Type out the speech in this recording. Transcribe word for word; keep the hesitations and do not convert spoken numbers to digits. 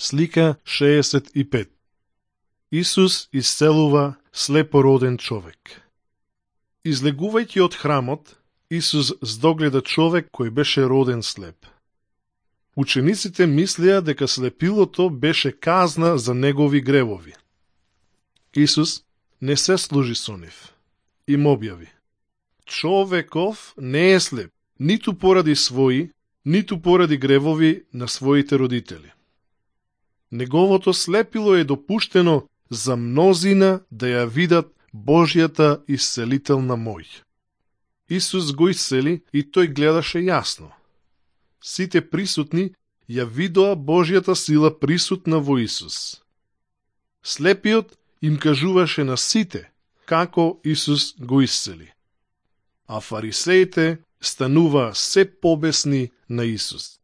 Слика шеесет и пет. Исус исцелува слепороден човек. Излегувајќи од храмот, Исус здогледа човек кој беше роден слеп. Учениците мислеа дека слепилото беше казна за негови гревови. Исус не се служи со нив. Им објави: човеков не е слеп, ниту поради своји, ниту поради гревови на своите родители. Неговото слепило е допуштено за мнозина да ја видат Божјата исцелителна мој. Исус го исцели и тој гледаше јасно. Сите присутни ја видоа Божјата сила присутна во Исус. Слепиот им кажуваше на сите како Исус го исцели. А фарисеите станува се побесни на Исус.